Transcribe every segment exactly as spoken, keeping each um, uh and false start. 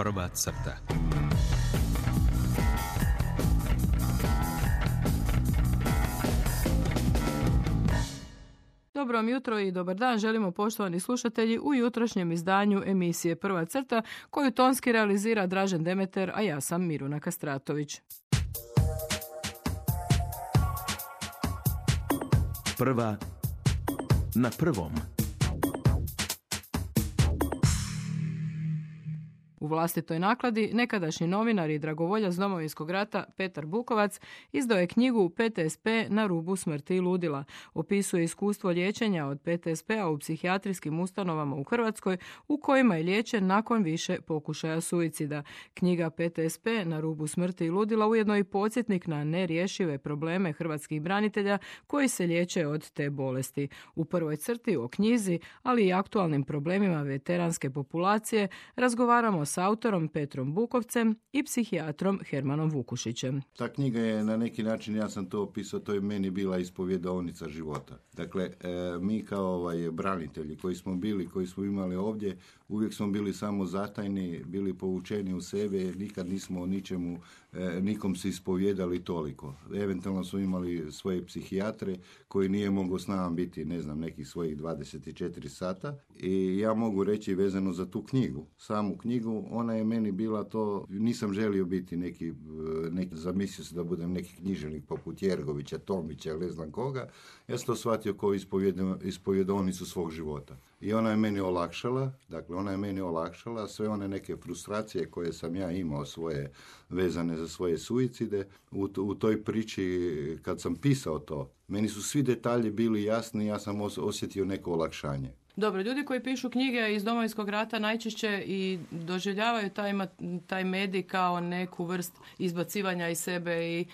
Prva crta. Dobro vam jutro i dobar dan želimo poštovani slušatelji u jutrošnjem izdanju emisije Prva crta koju tonski realizira Dražen Demeter, a ja sam Miruna Kastratović. Prva na prvom. U vlastitoj nakladi nekadašnji novinar i dragovoljac Domovinskog rata Petar Bukovac izdao je knjigu P T S P na rubu smrti i ludila. Opisuje iskustvo liječenja od P T S P-a u psihijatrijskim ustanovama u Hrvatskoj u kojima je liječen nakon više pokušaja suicida. Knjiga P T S P na rubu smrti i ludila ujedno i podsjetnik na nerješive probleme hrvatskih branitelja koji se liječe od te bolesti. U prvoj crti o knjizi, ali i aktualnim problemima veteranske populacije razgovaramo s autorom Petrom Bukovcem i psihijatrom Hermanom Vukušićem. Ta knjiga je na neki način, ja sam to opisao, to je meni bila ispovjedonica života. Dakle, e, mi kao ovaj, branitelji koji smo bili, koji smo imali ovdje, uvijek smo bili samo zatajni, bili povučeni u sebe, nikad nismo o ničemu, e, nikom se ispovjedali toliko. Eventualno smo imali svoje psihijatre koji nije mogao s nama biti, ne znam, nekih svojih dvadeset četiri sata. I ja mogu reći vezano za tu knjigu, samu knjigu, ona je meni bila to, nisam želio biti neki, neki zamislio se da budem neki književnik poput Jergovića, Tomića, ne znam koga. Ja sam to shvatio kao ispovjedovnicu svog života. I ona je meni olakšala, dakle ona je meni olakšala sve one neke frustracije koje sam ja imao svoje vezane za svoje suicide. U, u toj priči kad sam pisao to, meni su svi detalji bili jasni, ja sam osjetio neko olakšanje. Dobro, ljudi koji pišu knjige iz Domovinskog rata najčešće i doživljavaju taj, taj medij kao neku vrst izbacivanja iz sebe i e,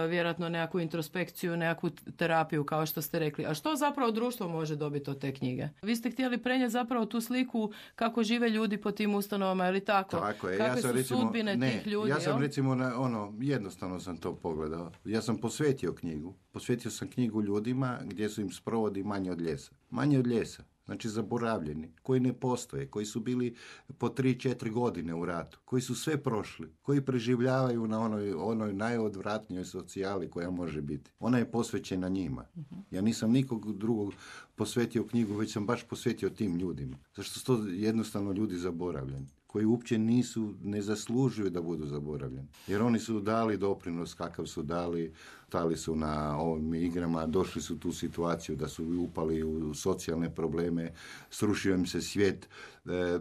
vjerojatno nekakvu introspekciju, nekakvu terapiju, kao što ste rekli. A što zapravo društvo može dobiti od te knjige? Vi ste htjeli prenijeti zapravo tu sliku kako žive ljudi po tim ustanovama, ili tako? Tako je. Kakve ja sam, su recimo, sudbine ne, tih ljudi? Ja sam jel? recimo, na, ono, jednostavno sam to pogledao. Ja sam posvetio knjigu. Posvetio sam knjigu ljudima gdje su im sprovodi manje od ljesa. Manje od ljesa. Znači zaboravljeni, koji ne postoje, koji su bili po tri četiri godine u ratu, koji su sve prošli, koji preživljavaju na onoj, onoj najodvratnijoj socijali koja može biti. Ona je posvećena njima. Ja nisam nikog drugog posvetio knjigu, već sam baš posvetio tim ljudima. Zašto su to jednostavno ljudi zaboravljeni, koji uopće nisu, ne zaslužuju da budu zaboravljeni. Jer oni su dali doprinos kakav su dali, stali su na ovim igrama, došli su u tu situaciju da su upali u socijalne probleme, srušio im se svijet. E,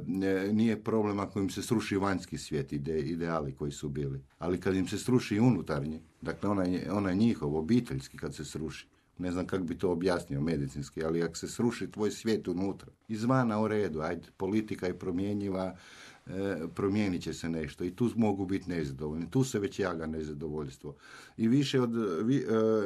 nije problem ako im se sruši vanjski svijet, ide, ideali koji su bili. Ali kad im se sruši unutarnji, dakle onaj, onaj njihov, obiteljski kad se sruši, ne znam kako bi to objasnio medicinski, ali ako se sruši tvoj svijet unutra, izvana u redu, ajde, politika je promjenjiva, e, promijenit će se nešto i tu mogu biti nezadovoljni. Tu se već jaga nezadovoljstvo. I više od, vi, e,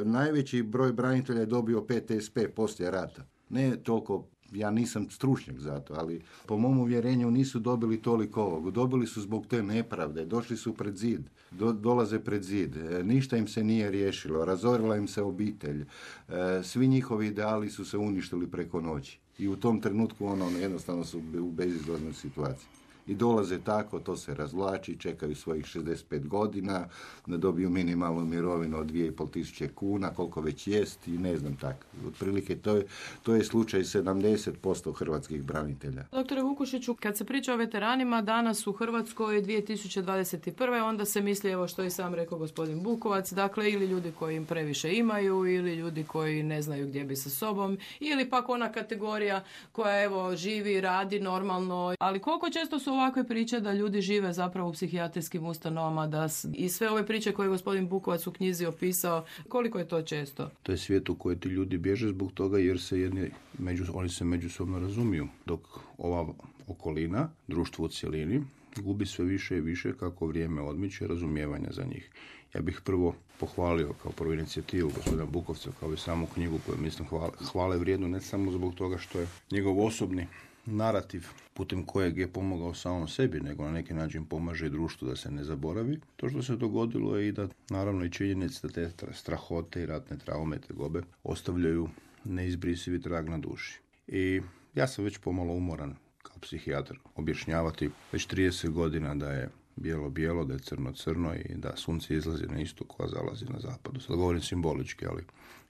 najveći broj branitelja je dobio P T S P poslije rata. Ne toliko, ja nisam stručnjak za to, ali po mom uvjerenju nisu dobili toliko ovog. Dobili su zbog te nepravde, došli su pred zid, do, dolaze pred zid, e, ništa im se nije riješilo, razorila im se obitelj, e, svi njihovi ideali su se uništili preko noći. I u tom trenutku ono, jednostavno su u bezizlaznoj situaciji. I dolaze tako, to se razvlači, čekaju svojih šezdeset pet godina, da dobiju minimalnu mirovinu od dvije i pol tisuće kuna, koliko već jest i ne znam tako. Otprilike to je, to je slučaj sedamdeset posto hrvatskih branitelja. Doktore Vukušiću, kad se priča o veteranima danas u Hrvatskoj dvije tisuće dvadeset prve onda se misli, evo što je sam rekao gospodin Bukovac, dakle ili ljudi koji im previše imaju, ili ljudi koji ne znaju gdje bi sa sobom, ili pak ona kategorija koja evo živi, radi normalno, ali koliko često su ovakve priče da ljudi žive zapravo u psihijatrijskim ustanovama, da i sve ove priče koje je gospodin Bukovac u knjizi opisao, koliko je to često? To je svijet u koji ti ljudi bježe zbog toga jer se jedni, među, oni se međusobno razumiju, dok ova okolina, društvo u cjelini, gubi sve više i više kako vrijeme odmiče razumijevanja za njih. Ja bih prvo pohvalio kao prvu inicijativu gospodina Bukovca, kao i samu knjigu koju mislim hvale, hvale vrijedno, ne samo zbog toga što je njegov osobni narativ putem kojeg je pomogao samom sebi, nego na neki način pomaže i društvu da se ne zaboravi. To što se dogodilo je i da naravno i činjenica da te strahote i ratne traume, tegobe ostavljaju neizbrisivi trag na duši. I ja sam već pomalo umoran kao psihijatar objašnjavati već trideset godina da je bijelo-bijelo, da je crno-crno i da sunce izlazi na istoku, a zalazi na zapadu. Sad govorim simbolički, ali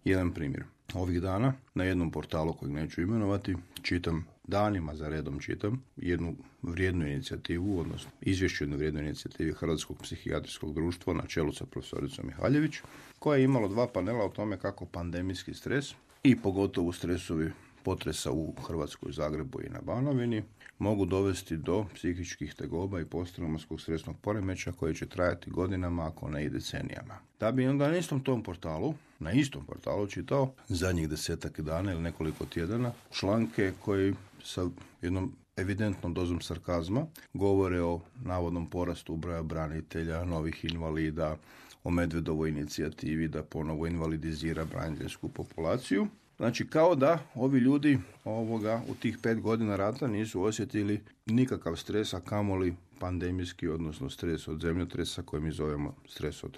jedan primjer. Ovih dana na jednom portalu kojeg neću imenovati čitam, danima za redom čitam jednu vrijednu inicijativu, odnosno izvješću jednu vrijednu inicijativu Hrvatskog psihijatrijskog društva na čelu sa profesoricom Mihaljević, koja je imala dva panela o tome kako pandemijski stres i pogotovo stresovi potresa u Hrvatskoj, Zagrebu i na Banovini mogu dovesti do psihičkih tegoba i posttraumatskog stresnog poremećaja koji će trajati godinama, ako ne i decenijama. Da bi onda na istom tom portalu, na istom portalu čitao zadnjih desetak dana ili nekoliko tjedana članke koji sa jednom evidentnom dozom sarkazma govore o navodnom porastu broja branitelja, novih invalida, o Medvedovoj inicijativi da ponovo invalidizira braniteljsku populaciju. Znači, kao da ovi ljudi ovoga u tih pet godina rata nisu osjetili nikakav stres, a kamoli pandemijski, odnosno stres od zemljotresa, koji mi zovemo stres od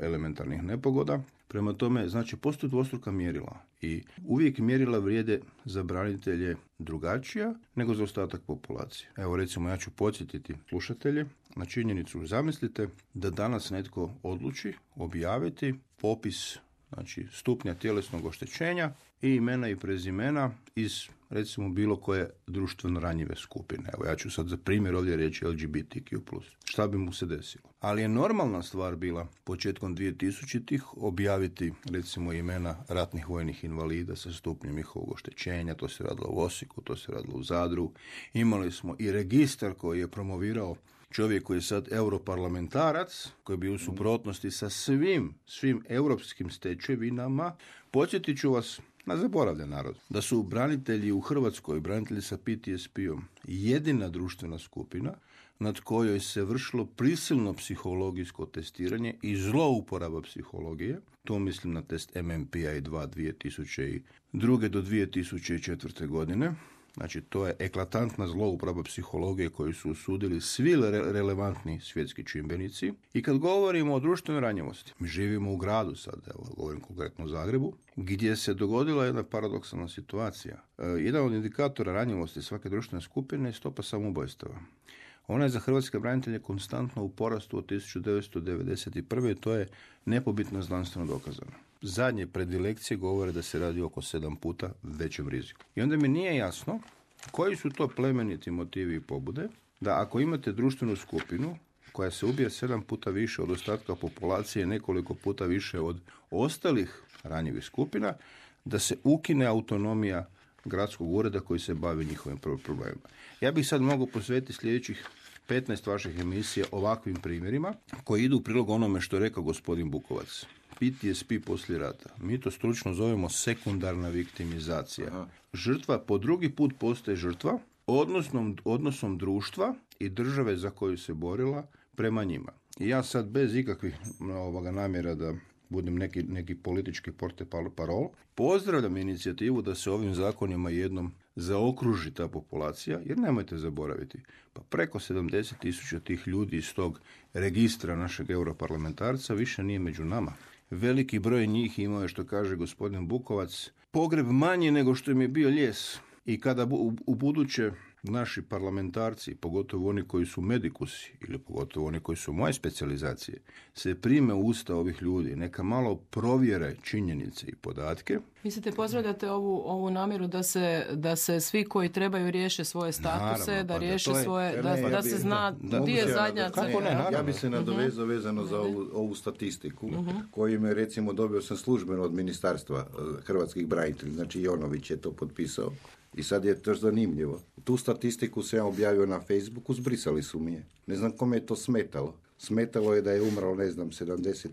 elementarnih nepogoda. Prema tome, znači, postoje dvostruka mjerila i uvijek mjerila vrijede za branitelje drugačija nego za ostatak populacije. Evo, recimo, ja ću podsjetiti slušatelje na činjenicu. Zamislite da danas netko odluči objaviti popis, znači, stupnja tjelesnog oštećenja i imena i prezimena iz, recimo, bilo koje društveno ranjive skupine. Evo, ja ću sad za primjer ovdje reći L G B T Q plus. Šta bi mu se desilo? Ali je normalna stvar bila početkom dvije tisućitih objaviti, recimo, imena ratnih vojnih invalida sa stupnjem njihovog oštećenja. To se radilo u Osijeku, to se radilo u Zadru. Imali smo i registar koji je promovirao čovjek koji je sad europarlamentarac, koji bi u suprotnosti sa svim, svim europskim stečevinama. Podsjetit ću vas na zaboravljen narod, da su branitelji u Hrvatskoj, branitelji sa P T S P-om, jedina društvena skupina nad kojoj se vršilo prisilno psihologijsko testiranje i zlouporaba psihologije. To mislim na test M M P I dva dvije tisuće druge do dvije tisuće četvrte godine. Znači, to je eklatantna zlouporaba psihologije koju su osudili svi re- relevantni svjetski čimbenici. I kad govorimo o društvenoj ranjivosti, mi živimo u gradu sad, evo, govorim konkretno o Zagrebu, gdje se dogodila jedna paradoksalna situacija. E, jedan od indikatora ranjivosti svake društvene skupine je stopa samoubojstava. Ona je za hrvatske branitelje konstantno u porastu od tisuću devetsto devedeset prve. To je nepobitno znanstveno dokazano. Zadnje predilekcije govore da se radi oko sedam puta većem riziku. I onda mi nije jasno koji su to plemeniti motivi i pobude da ako imate društvenu skupinu koja se ubije sedam puta više od ostatka populacije, nekoliko puta više od ostalih ranjivih skupina, da se ukine autonomija gradskog ureda koji se bavi njihovim problemima. Ja bih sad mogao posvetiti sljedećih petnaest vaših emisija ovakvim primjerima koji idu u prilog onome što je rekao gospodin Bukovac. P T S P poslije rata. Mi to stručno zovemo sekundarna viktimizacija. Aha. Žrtva po drugi put postaje žrtva odnosnom, odnosom društva i države za koju se borila prema njima. I ja sad bez ikakvih ovoga namjera da budem neki, neki politički porte-parol, pozdravljam inicijativu da se ovim zakonima jednom zaokruži ta populacija, jer nemojte zaboraviti, pa preko sedamdeset tisuća tih ljudi iz tog registra našeg europarlamentarca više nije među nama. Veliki broj njih imao je, što kaže gospodin Bukovac, pogreb manji nego što im je bio lijes. I kada u, u buduće naši parlamentarci, pogotovo oni koji su medikusi ili pogotovo oni koji su moje specijalizacije, se prime u usta ovih ljudi, neka malo provjere činjenice i podatke. Mislite, pozdravljate ovu, ovu namjeru da se, da se svi koji trebaju riješe svoje statuse, naravno, da riješe da svoje, je, da, ne, da ja bi, se zna gdje je zadnja crta. Ja, ja bi se nadovezao vezano za ovu, ovu statistiku, uh-huh. koju me, recimo, dobio sam službeno od Ministarstva hrvatskih branitelja, znači Jonović je to potpisao. I sad je to zanimljivo. Tu statistiku se ja objavio na Facebooku, zbrisali su mi je. Ne znam kome je to smetalo. Smetalo je da je umrlo, ne znam, sedamdeset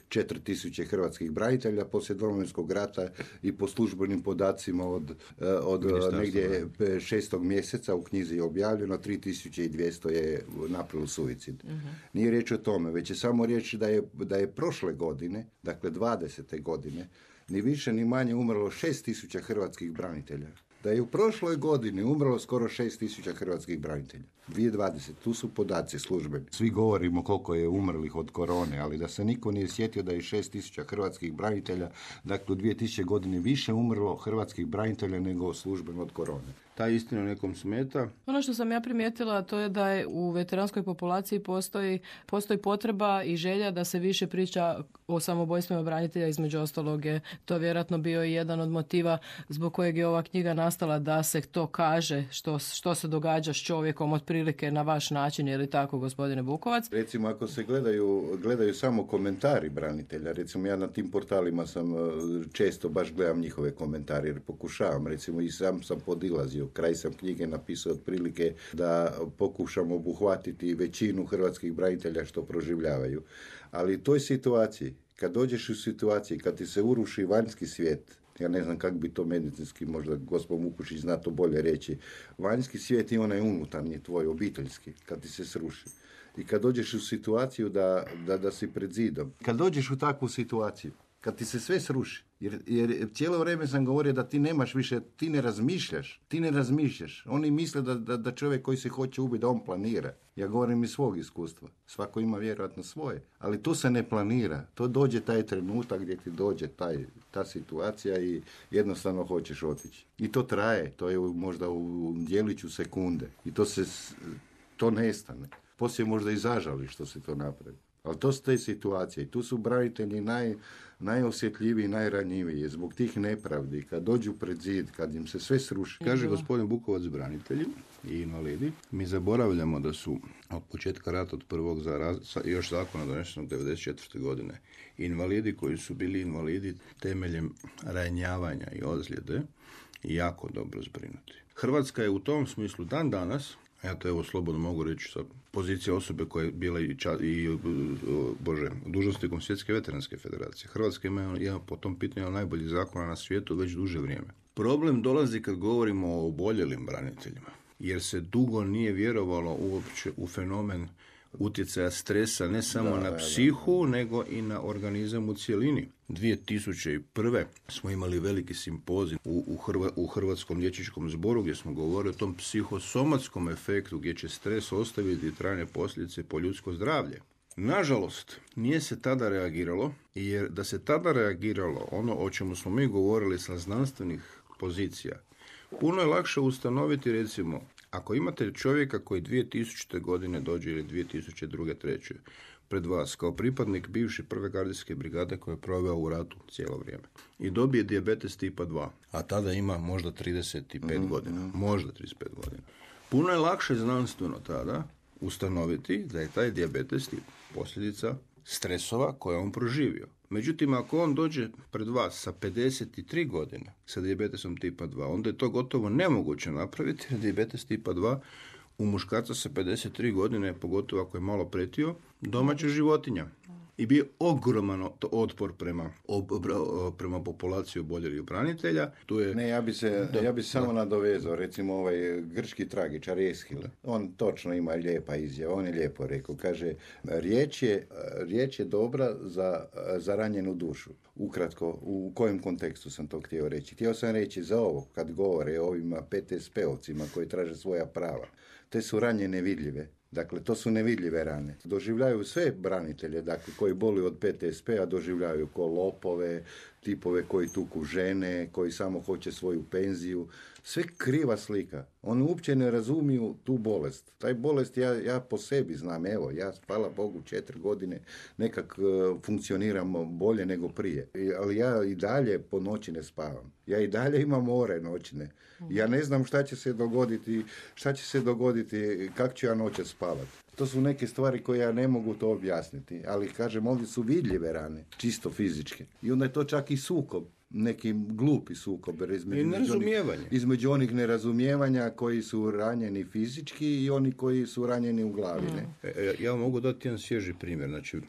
četiri tisuće hrvatskih branitelja poslije Domovinskog rata i po službenim podacima od, od negdje šestog mjeseca u knjizi je objavljeno, tri tisuće dvjesto je napravilo suicid. Uh-huh. Nije riječ o tome, već je samo riječ da je, da je prošle godine, dakle dvadesete godine, ni više ni manje umrlo šest tisuća hrvatskih branitelja. Da je u prošloj godini umrlo skoro šest tisuća hrvatskih branitelja. dvije tisuće dvadesete. Tu su podaci službeni. Svi govorimo koliko je umrlih od korone, ali da se niko nije sjetio da je šest tisuća hrvatskih branitelja, dakle u dvije tisuće godine više umrlo hrvatskih branitelja nego službeno od korone. ta istina nekom smeta. Ono što sam ja primijetila to je da je u veteranskoj populaciji postoji, postoji potreba i želja da se više priča o samobojstvima branitelja, između ostalog je to vjerojatno bio i jedan od motiva zbog kojeg je ova knjiga nastala, da se to kaže što, što se događa s čovjekom otprilike na vaš način, je li tako, gospodine Bukovac? Recimo, ako se gledaju, gledaju samo komentari branitelja, recimo ja na tim portalima sam često baš gledam njihove komentare jer pokušavam, recimo i sam sam podilazio, kraj sam knjige napisao otprilike da pokušam obuhvatiti većinu hrvatskih branitelja što proživljavaju. Ali u toj situaciji, kad dođeš u situaciji, kad ti se uruši vanjski svijet, ja ne znam kako bi to medicinski, možda gospod Mukušić zna to bolje reći, vanjski svijet i onaj unutarnji tvoj, obiteljski, kad ti se sruši. I kad dođeš u situaciju da, da, da si pred zidom, kad dođeš u takvu situaciju, kad ti se sve sruši, jer, jer cijelo vrijeme sam govorio da ti nemaš više, ti ne razmišljaš, ti ne razmišljaš. Oni misle da, da, da čovjek koji se hoće ubiti, da on planira. Ja govorim iz svog iskustva. Svako ima vjerojatno svoje. Ali to se ne planira. To dođe taj trenutak gdje ti dođe taj, ta situacija i jednostavno hoćeš otići. I to traje. To je možda u djeliću sekunde. I to se, to nestane. Poslije možda i zažali što se to napravi. Ali to su te situacije. I tu su branitelji naj, najosjetljiviji, najranjiviji. Zbog tih nepravdi, kad dođu pred zid, kad im se sve sruši. Kaže gospodin Bukovac, branitelji i invalidi, mi zaboravljamo da su od početka rata, od prvog za još zakona donesenog devedeset četvrte godine, invalidi koji su bili invalidi temeljem ranjavanja i ozljede jako dobro zbrinuti. Hrvatska je u tom smislu dan danas, ja to evo slobodno mogu reći sa pozicije osobe koja je bila i, ča, i bože, dužnosnikom Svjetske veteranske federacije. Hrvatska ima, ima po tom pitanju najbolji zakona na svijetu već duže vrijeme. Problem dolazi kad govorimo o oboljelim braniteljima, jer se dugo nije vjerovalo uopće u fenomen utjecaja stresa ne samo da, na psihu, da, da. nego i na organizam u cjelini. dvije tisuće prve smo imali veliki simpozij u, u, Hrva, u Hrvatskom liječničkom zboru gdje smo govorili o tom psihosomatskom efektu gdje će stres ostaviti trajne posljedice po ljudsko zdravlje. Nažalost, nije se tada reagiralo, jer da se tada reagiralo, ono o čemu smo mi govorili sa znanstvenih pozicija, puno je lakše ustanoviti, recimo, ako imate čovjeka koji dvije tisućite godine dođe ili dvije tisuće druge. treće pred vas kao pripadnik bivše prve gardijske brigade koja je proveo u ratu cijelo vrijeme i dobije dijabetes tipa dva, a tada ima možda trideset pet mm-hmm. godina, možda trideset pet godina. Puno je lakše znanstveno tada ustanoviti da je taj dijabetes posljedica stresova koje on proživio. Međutim, ako on dođe pred vas sa pedeset tri godine sa dijabetesom tipa dva, onda je to gotovo nemoguće napraviti, jer dijabetes tipa dva u muškarca sa pedeset tri godine, pogotovo ako je malo pretio, domaća životinja. I bio ogroman otpor prema, ob, prema populaciji oboljelih branitelja. Tu je... Ne, ja bi se, da, ja bi se samo nadovezao, recimo ovaj grčki tragičar Eshil. On točno ima lijepa izjava, on je lijepo rekao. Kaže, riječ je, riječ je dobra za, za ranjenu dušu. Ukratko, u kojem kontekstu sam to htio reći? Htio sam reći za ovo, kad govore o ovima P T S P-ovcima koji traže svoja prava. Te su ranje nevidljive. Dakle, to su nevidljive rane. Doživljaju sve branitelje, dakle, koji boluju od P T S P-a, doživljaju ko lopove, tipove koji tuku žene, koji samo hoće svoju penziju. Sve kriva slika. Oni uopće ne razumiju tu bolest. Taj bolest ja, ja po sebi znam, evo, ja hvala Bogu četiri godine nekak uh, funkcioniramo bolje nego prije. I, ali ja i dalje po noći ne spavam. Ja i dalje imam more noćne. Ja ne znam šta će se dogoditi, šta će se dogoditi, kako ću ja noće spavati. To su neke stvari koje ja ne mogu to objasniti, ali kažem, ovdje su vidljive rane, čisto fizičke. I onda je to čak i sukob, neki glupi sukob između, nerazumijevanje. Onih, između onih nerazumijevanja koji su ranjeni fizički i oni koji su ranjeni u glavi. Ne? E, ja mogu dati jedan svježi primjer, znači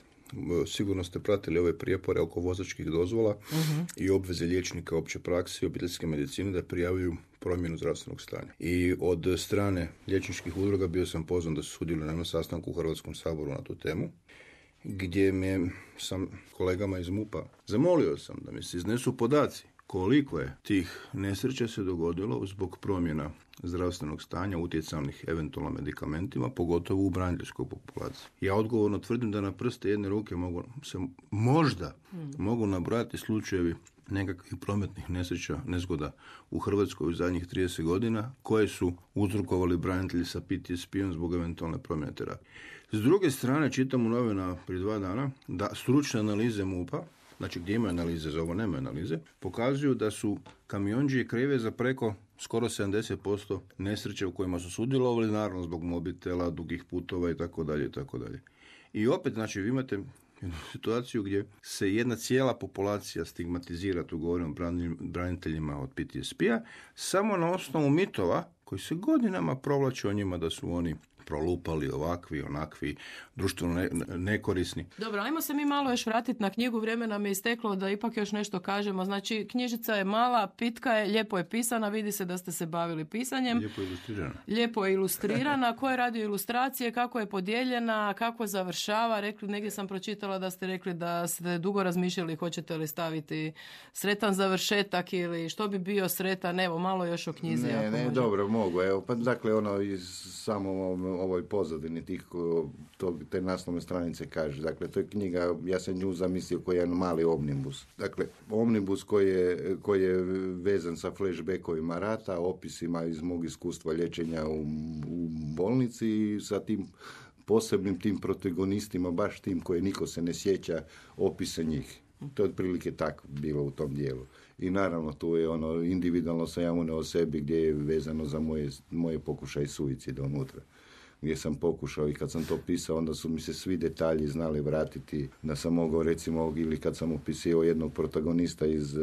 sigurno ste pratili ove prijepore oko vozačkih dozvola uh-huh. i obveze liječnika opće prakse i obiteljske medicine da prijavljuju promjenu zdravstvenog stanja. I od strane liječničkih udruga bio sam pozvan da sudjelujem na sastanku u Hrvatskom saboru na tu temu, gdje me sam kolegama iz MUP-a zamolio sam da mi se iznesu podaci koliko je tih nesreća se dogodilo zbog promjena zdravstvenog stanja utjecanih eventualno medikamentima, pogotovo u braniteljskoj populaciji. Ja odgovorno tvrdim da na prste jedne ruke mogu se možda hmm. mogu nabrojati slučajevi nekakvih prometnih nesreća, nezgoda u Hrvatskoj u zadnjih trideset godina, koje su uzrokovali branitelji sa P T S P-om zbog eventualne promjene terapije. S druge strane, čitam u novina prije dva dana da stručne analize MUP-a, znači gdje ima analize, za ovo nema analize, pokazuju da su kamionđije krive za preko skoro sedamdeset posto nesreće u kojima su sudjelovali, naravno zbog mobitela, dugih putova i tako dalje i tako dalje. I opet, znači, vi imate jednu situaciju gdje se jedna cijela populacija stigmatizira, tu govorim o braniteljima od P T S P-a, samo na osnovu mitova koji se godinama provlače o njima da su oni prolupali, ovakvi, onakvi, društveno ne, nekorisni. Dobro, ajmo se mi malo još vratiti na knjigu, vrijeme nam je isteklo da ipak još nešto kažemo. Znači, knjižica je mala, pitka je, lijepo je pisana, vidi se da ste se bavili pisanjem. Lijepo je ilustrirana. Lijepo je ilustrirana. Ko je radio ilustracije, kako je podijeljena, kako završava? Rekli, negdje sam pročitala da ste rekli da ste dugo razmišljali hoćete li staviti sretan završetak ili što bi bio sretan. Evo, malo još o knjizi. Ne, ne, može. dobro, mogu. Evo, pa dakle, ono iz samo ovoj pozadini tih to, te naslovne stranice kaže. Dakle, to je knjiga, ja sam nju zamislio koji je jedan mali omnibus. Dakle, omnibus koji je, koji je vezan sa flashbackovima rata, opisima iz mog iskustva liječenja u, u bolnici i sa tim posebnim tim protagonistima, baš tim koje niko se ne sjeća opisa njih. To je otprilike tako bilo u tom dijelu. I naravno tu je ono individualno sam ja uneo o sebi gdje je vezano za moje, moje pokušaje suicida unutra. Gdje sam pokušao i kad sam to pisao, onda su mi se svi detalji znali vratiti, da sam mogao recimo, ili kad sam opisio jednog protagonista iz,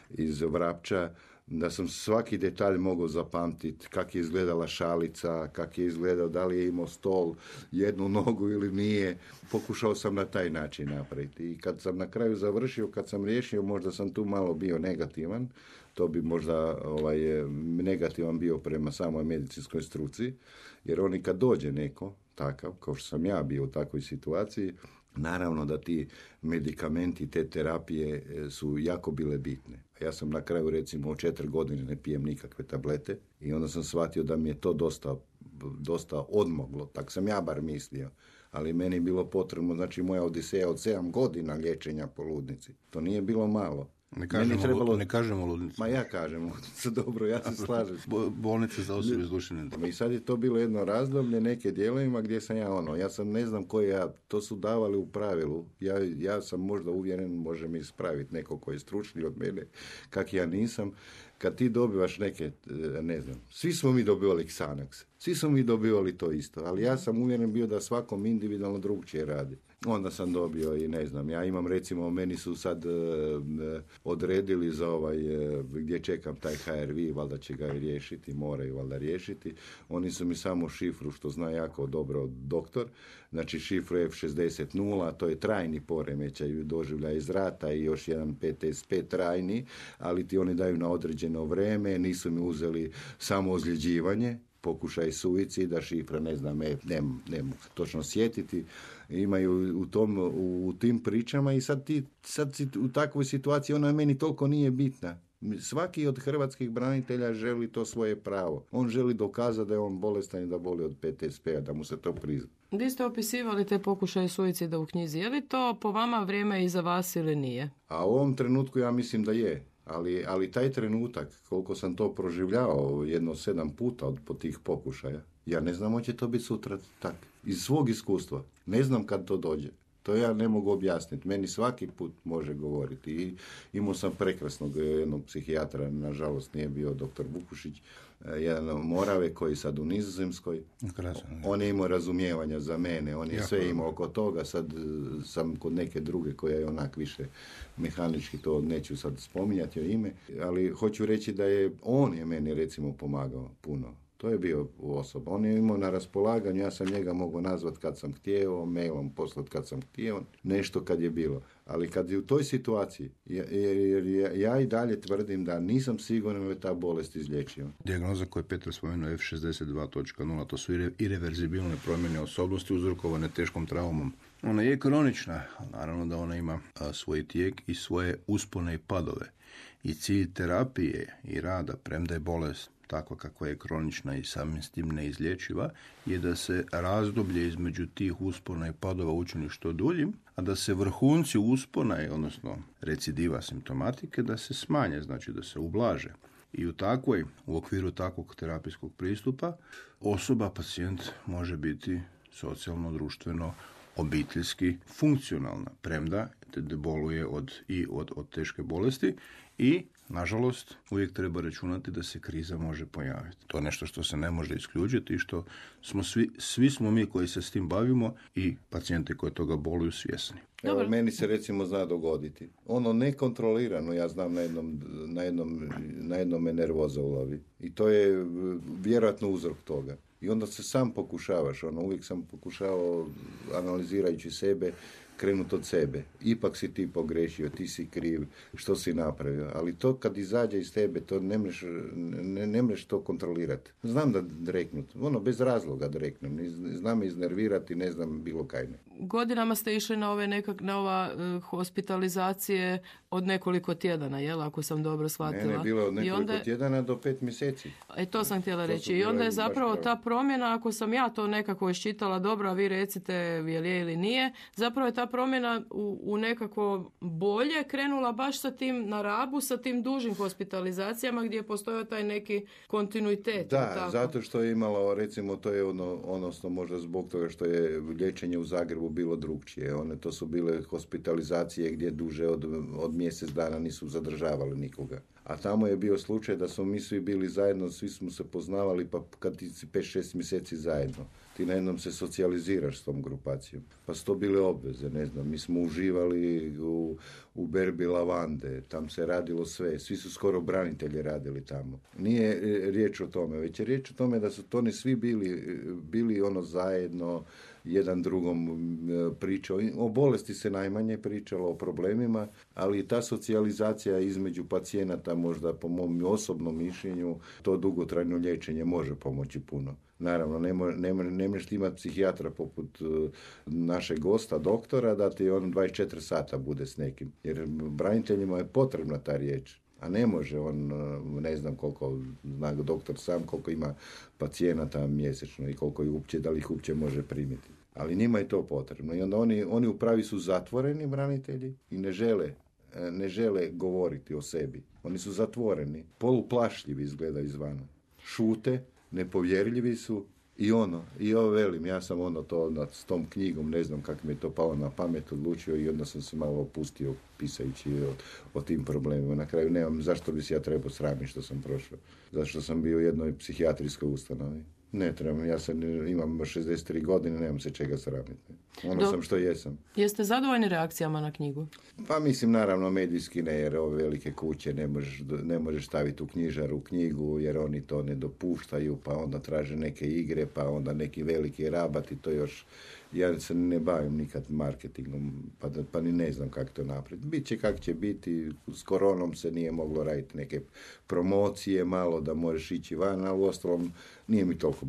iz Vrapča, da sam svaki detalj mogao zapamtiti, kak je izgledala šalica, kak je izgledao, da li je imao stol, jednu nogu ili nije. Pokušao sam na taj način napraviti. I kad sam na kraju završio, kad sam riješio, možda sam tu malo bio negativan, to bi možda ovaj, negativan bio prema samoj medicinskoj struci, jer oni kad dođe neko takav, kao što sam ja bio u takvoj situaciji, naravno da ti medikamenti, te terapije su jako bile bitne. Ja sam na kraju recimo od četiri godine ne pijem nikakve tablete i onda sam shvatio da mi je to dosta, dosta odmoglo, tak sam ja bar mislio. Ali meni je bilo potrebno, znači moja odiseja od sedam godina liječenja po ludnici. To nije bilo malo. Ne kažemo, trebalo... ne kažemo ludnicu. Ma ja kažem ludnicu, dobro, ja se slažem. Bolnice za osobe s duševnim. I sad je to bilo jedno razdoblje, neke dijelovima gdje sam ja ono, ja sam ne znam koji ja, to su davali u pravilu. Ja, ja sam možda uvjeren, može mi ispraviti neko koji je stručniji od mene, kak ja nisam. Kad ti dobivaš neke, ne znam, svi smo mi dobivali Xanax, svi smo mi dobivali to isto, ali ja sam uvjeren bio da svakom individualno drugčije radi. Onda sam dobio i ne znam, ja imam recimo, meni su sad e, odredili za ovaj, e, gdje čekam taj H R V, valjda će ga i riješiti, moraju valjda riješiti. Oni su mi samo šifru, što zna jako dobro doktor, znači šifru F šezdeset nula, to je trajni poremećaj doživlja iz rata i još jedan P T S P trajni, ali ti oni daju na određeno vrijeme, nisu mi uzeli samo ozljeđivanje, pokušaj suicida, šifra, ne znam, ne, ne, ne mogu točno sjetiti, imaju u, tom, u, u tim pričama i sad ti sad si u takvoj situaciji, ona meni toliko nije bitna. Svaki od hrvatskih branitelja želi to svoje pravo. On želi dokazati da je on bolestan i da boli od P T S P-a, da mu se to prizna. Vi ste opisivali te pokušaje suicida u knjizi. Je li to po vama vrijeme iza vas ili nije? A u ovom trenutku ja mislim da je. Ali, ali taj trenutak, koliko sam to proživljavao jedno sedam puta od po tih pokušaja, ja ne znam hoće to biti sutra tak. Iz svog iskustva. Ne znam kad to dođe. To ja ne mogu objasniti. Meni svaki put može govoriti. I imao sam prekrasnog jednog psihijatra, nažalost nije bio doktor Vukušić, jedan Morave koji sad u Nizozemskoj. Krasan, on je imao razumijevanja za mene, on je jako sve imao oko toga, sad sam kod neke druge koja je onak više mehanički, to neću sad spominjati o ime, ali hoću reći da je on je meni recimo pomagao puno. To je bio osoba. On je imao na raspolaganju, ja sam njega mogao nazvat kad sam htio, mailom poslat kad sam htio, nešto kad je bilo. Ali kad je u toj situaciji, jer ja, ja i dalje tvrdim da nisam siguran da je ta bolest izlječio. Dijagnoza koju je Petar spomenuo F šezdeset dva točka nula, to su irreverzibilne promjene osobnosti uzrokovane teškom traumom. Ona je kronična, naravno da ona ima a, svoj tijek i svoje uspone i padove. I cilj terapije i rada, premda je bolest takva kakva je kronična i samim s tim neizlječiva, je da se razdoblje između tih uspona i padova učini što duljim, a da se vrhunci uspona, odnosno recidiva simptomatike, da se smanje, znači da se ublaže. I u takvoj, u okviru takvog terapijskog pristupa, osoba, pacijent može biti socijalno, društveno, obiteljski funkcionalna, premda boluje od, i od, od teške bolesti i, nažalost, uvijek treba računati da se kriza može pojaviti. To je nešto što se ne može isključiti i što smo svi, svi smo mi koji se s tim bavimo i pacijenti koji toga boluju svjesni. Evo, meni se recimo zna dogoditi. Ono nekontrolirano, ja znam, na jednom, na jednom, na jednom me nervoza ulovi. I to je vjerojatno uzrok toga. I onda se sam pokušavaš, ono, uvijek sam pokušavao, analizirajući sebe, krenut od sebe. Ipak si ti pogrešio, ti si kriv, što si napravio. Ali to kad izađe iz tebe, to ne mreš, ne, ne mreš to kontrolirati. Znam da dreknut, ono, bez razloga dreknem. Znam iznervirati, ne znam bilo kaj ne. Godinama ste išli na ove nekak, na ova uh, hospitalizacije od nekoliko tjedana, jel, ako sam dobro shvatila. Ne, ne, bilo od nekoliko onda, tjedana do pet mjeseci. E, to sam htjela to reći. I onda je zapravo ta promjena, ako sam ja to nekako iščitala dobro, a vi recite je li je ili nije, zapravo je ta promjena u, u nekako bolje krenula baš sa tim na Rabu, sa tim dužim hospitalizacijama gdje je postojao taj neki kontinuitet. Da, tako. Zato što je imalo, recimo, to je ono, odnosno možda zbog toga što je liječenje u Zagrebu bilo drugčije. One to su bile hospitalizacije gdje duže od, od mjesec dana nisu zadržavali nikoga. A tamo je bio slučaj da smo mi svi bili zajedno, svi smo se poznavali, pa kad ti si pet šest mjeseci zajedno, ti na jednom se socijaliziraš s tom grupacijom. Pa su to bile obveze, ne znam, mi smo uživali u, u berbi lavande, tam se radilo sve, svi su skoro branitelji radili tamo. Nije riječ o tome, već je riječ o tome da su to ne svi bili, bili ono zajedno, jedan drugom pričao. O bolesti se najmanje pričalo, o problemima, ali ta socijalizacija između pacijenata, možda po mom osobnom mišljenju, to dugotrajno liječenje može pomoći puno. Naravno, ne, mo, ne, ne možeš imati psihijatra poput uh, našeg gosta, doktora, da ti on dvadeset četiri sata bude s nekim. Jer braniteljima je potrebna ta riječ. A ne može on, ne znam koliko, zna doktor sam, koliko ima pacijenata mjesečno i koliko ih uopće, da li ih uopće može primiti. Ali njima je to potrebno. I onda oni, oni u pravi su zatvoreni branitelji i ne žele, ne žele govoriti o sebi. Oni su zatvoreni, poluplašljivi izgledaju izvana. Šute, nepovjerljivi su i ono, i ovo velim, ja sam ono to nad, s tom knjigom, ne znam kako mi je to palo na pamet, odlučio i onda sam se malo opustio pisajući o, o tim problemima. Na kraju nemam zašto bi se ja trebao sramiti što sam prošao. Zato što sam bio u jednoj psihijatrijskoj ustanovi. Ne trebam, ja sam, imam šezdeset tri godine, nemam se čega sramiti. Ono Do, sam što jesam. Jeste zadovoljni reakcijama na knjigu? Pa mislim, naravno, medijski ne, jer ove velike kuće ne možeš, ne možeš staviti u knjižaru u knjigu, jer oni to ne dopuštaju, pa onda traže neke igre, pa onda neki veliki rabati, to još... Ja se ne bavim nikad marketingom, pa, da, pa ni ne znam kako to napraviti. Biće kako će biti, s koronom se nije moglo raditi neke promocije, malo da možeš ići van, ali uostalom nije mi toliko,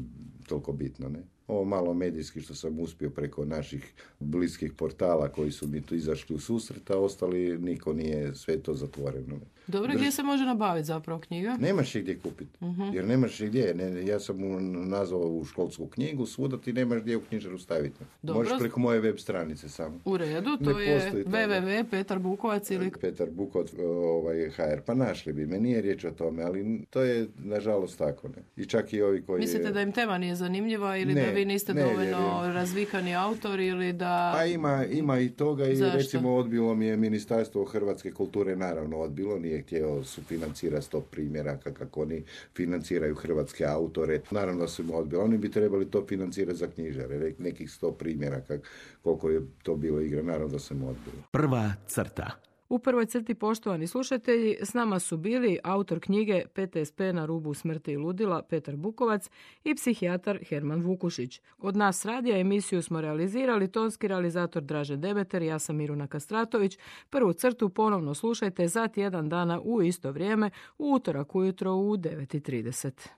toliko bitno, ne. Ovo malo medijski što sam uspio preko naših bliskih portala koji su mi tu izašli u susret, a ostali niko nije, sve to zatvoreno. Dobro, Drž... gdje se može nabaviti zapravo knjiga? Nemaš je gdje kupiti, uh-huh. jer nemaš je gdje. Ne, ja sam mu nazvao u školsku knjigu, svuda ti nemaš gdje u knjižaru staviti. Dobro. Možeš preko moje web stranice samo. U redu, to ne je w w w dot petar bukovac ili... Petar Bukovac, ovaj, ha er, pa našli bi me, nije riječ o tome, ali to je nažalost tako. Ne. I čak i ovi koji... Mislite da im tema nije zanimljiva ili ne, da vi niste ne, dovoljno jer... razvikani autor ili da... Pa ima, ima i toga i Zašto? Recimo odbilo mi je Ministarstvo Hrvatske kulture, naravno odbilo, nije htio sufinancirati sto primjeraka kako oni financiraju hrvatske autore. Naravno da su im odbili. Oni bi trebali to financirati za knjižare, nekih sto primjeraka koliko je to bilo igra. Naravno da su im odbili. Prva crta. U prvoj crti, poštovani slušatelji, s nama su bili autor knjige P T S P na rubu smrti i ludila Petar Bukovac i psihijatar Herman Vukušić. Od nas radija emisiju smo realizirali tonski realizator Dražen Demeter, ja sam Miruna Kastratović. Prvu crtu ponovno slušajte za tjedan dana u isto vrijeme, u utorak ujutro u devet i trideset.